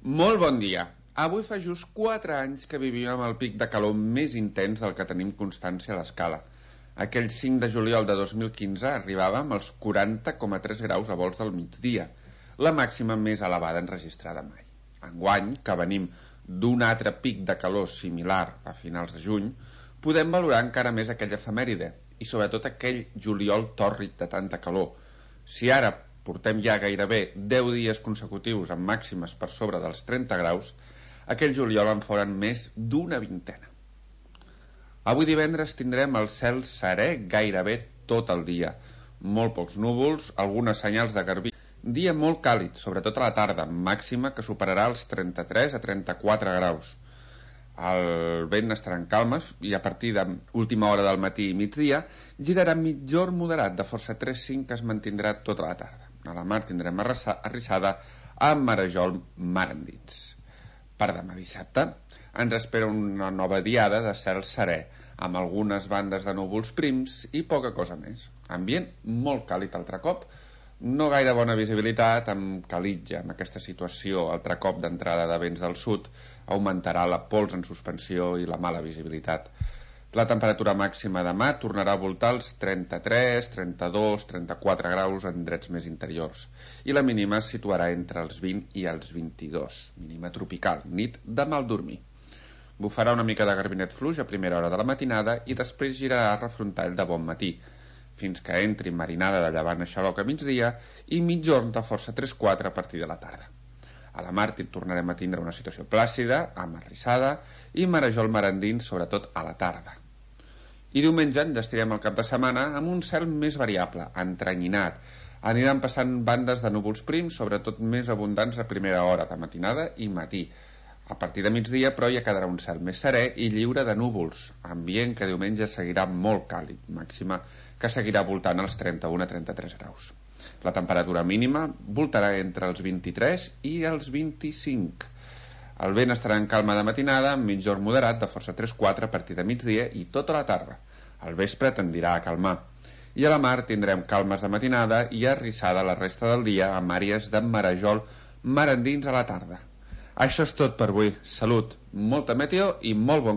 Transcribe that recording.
Molt bon dia. Avui fa just 4 anys que vivíem amb el pic de calor més intens del que tenim constància a l'escala. Aquell 5 de juliol de 2015 arribàvem als 40,3 graus a volts del migdia, la màxima més elevada enregistrada mai. Enguany, que venim d'un altre pic de calor similar a finals de juny, podem valorar encara més aquella efemèride i sobretot aquell juliol tòrrid de tanta calor. Si ara portem ja gairebé 10 dies consecutius amb màximes per sobre dels 30 graus, aquell juliol en foren més d'una vintena. Avui divendres tindrem el cel serè gairebé tot el dia. Molt pocs núvols, algunes senyals de garbí. Dia molt càlid, sobretot a la tarda, màxima que superarà els 33 a 34 graus. El vent estarà en calmes i a partir de última hora del matí i migdia girarà mitjor moderat de força 3-5 que es mantindrà tota la tarda. A la mar tindrem arrissada amb marejol mar endins. Per demà dissabte ens espera una nova diada de cel serè, amb algunes bandes de núvols prims i poca cosa més. Ambient molt càlid altre cop, no gaire bona visibilitat, amb calitja. En aquesta situació, altre cop d'entrada de vents del sud augmentarà la pols en suspensió i la mala visibilitat. La temperatura màxima demà tornarà a voltar els 33, 32, 34 graus en drets més interiors i la mínima es situarà entre els 20 i els 22, mínima tropical, nit de mal dormir. Bufarà una mica de garbinet fluix a primera hora de la matinada i després girarà a refrontall de bon matí, fins que entri marinada de llevant a xaloc a migdia i mitjorn de força 3-4 a partir de la tarda. A la mar tornarem a tindre una situació plàcida, amb arrissada i marejol mar endins, sobretot a la tarda. I diumenge enllestirem el cap de setmana amb un cel més variable, entrenyinat. Aniran passant bandes de núvols prims, sobretot més abundants a primera hora de matinada i matí. A partir de migdia, però, ja quedarà un cel més serè i lliure de núvols, ambient que diumenge seguirà molt càlid, màxima que seguirà voltant els 31 a 33 graus. La temperatura mínima voltarà entre els 23 i els 25. El vent estarà en calma de matinada, amb mitjorn moderat de força 3-4 a partir de migdia i tota la tarda. Al vespre tendirà a calmar. I a la mar tindrem calmes de matinada i arrissada la resta del dia amb àrees de marejol mar endins a la tarda. Això és tot per avui. Salut, molta meteo i molt bon cap.